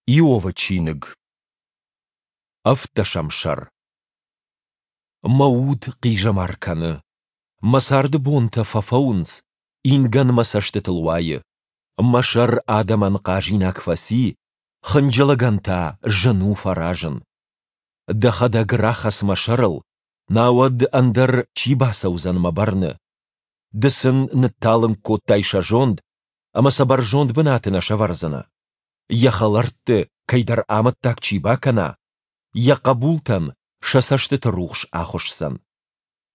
Иовы чиныг. Ӕвддӕсӕм сӕр. Мӕ уд хъизӕмар кӕны. Мӕ царды бонтӕ фӕфӕуынц, ингӕн мӕ цӕстытыл уайы. Мӕ сӕр адӕмӕн хъазинаг фӕци, хынджылӕгӕн та зын у фӕразын. Дӕхӕдӕг рахӕц мӕ сӕрыл, науӕд ӕндӕр чи бацӕудзӕн мӕ бӕрны? Ды сын нытталынг кодтай сӕ зонд, ӕмӕ сӕ бӕрзонд бынаты нӕ сӕвӕрдзынӕ. Йӕ хӕлӕртты кӕйдӕр амӕттаг чи бакӕна, йӕ хъӕбултӕн сӕ цӕстыты рухс ахуысдзӕн.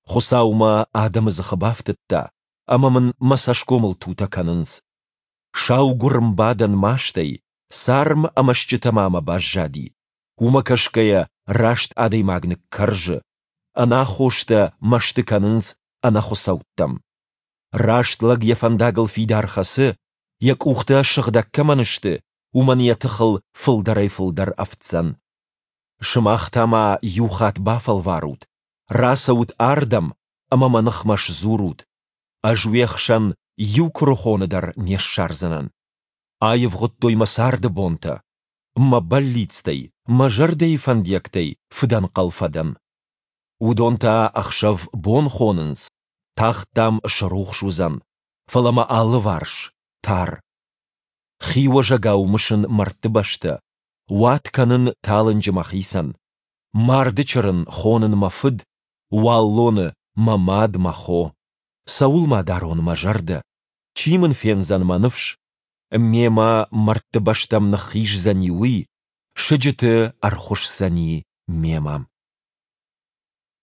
Хуыцау мӕ адӕмы дзыхы бафтыдта, ӕмӕ мын мӕ цӕсгомыл тутӕ кӕнынц. Саугуырм бадӕн мастӕй, царм ӕмӕ стджытӕ ма мӕ баззади. Уымӕ кӕсгӕйӕ раст адӕймаг ныккӕрзы, ӕнаххостӕ мӕсты кӕнынц ӕнӕхуыцӕуттӕм. Раст лӕг йӕ фӕндагыл фидар хӕцы, йӕ къухтӕ сыгъдӕг кӕмӕн сты, уымӕн йӕ тыхыл фылдӕрӕй-фылдӕр ӕфтдзӕн. Сымах та ма иу хатт бафӕлварут, рацӕут ардӕм ӕмӕ мӕ ныхмӕ сдзурут. Ӕз уе хсӕн иу куырыхоны дӕр не ссардзынӕн. Аивгъуыдтой мӕ царды бонтӕ. Мӕ бӕллицтӕй, мӕ зӕрдӕйы фӕндиӕгтӕй фыдӕнхъӕл фӕдӕн. Уыдон та ӕхсӕв бон хонынц, тагъд, дам, срухс уыдзӕн, фӕлӕ мӕ алыварс, тар. Хиуӕзӕгау мысын мӕрдты бӕстӕ, уат кӕнын талынджы мӕхицӕн. Марды чырын хонын мӕ фыд, уаллоны, мӕ мад, мӕ хо. Цӕуыл ма дарон мӕ зӕрдӕ? Чи мын фендзӕн мӕ ныфс? Мемӕ мӕрдты бӕстӕм ныххиздзӕни уый, сыджыты ӕрхуысдзӕни мемӕ.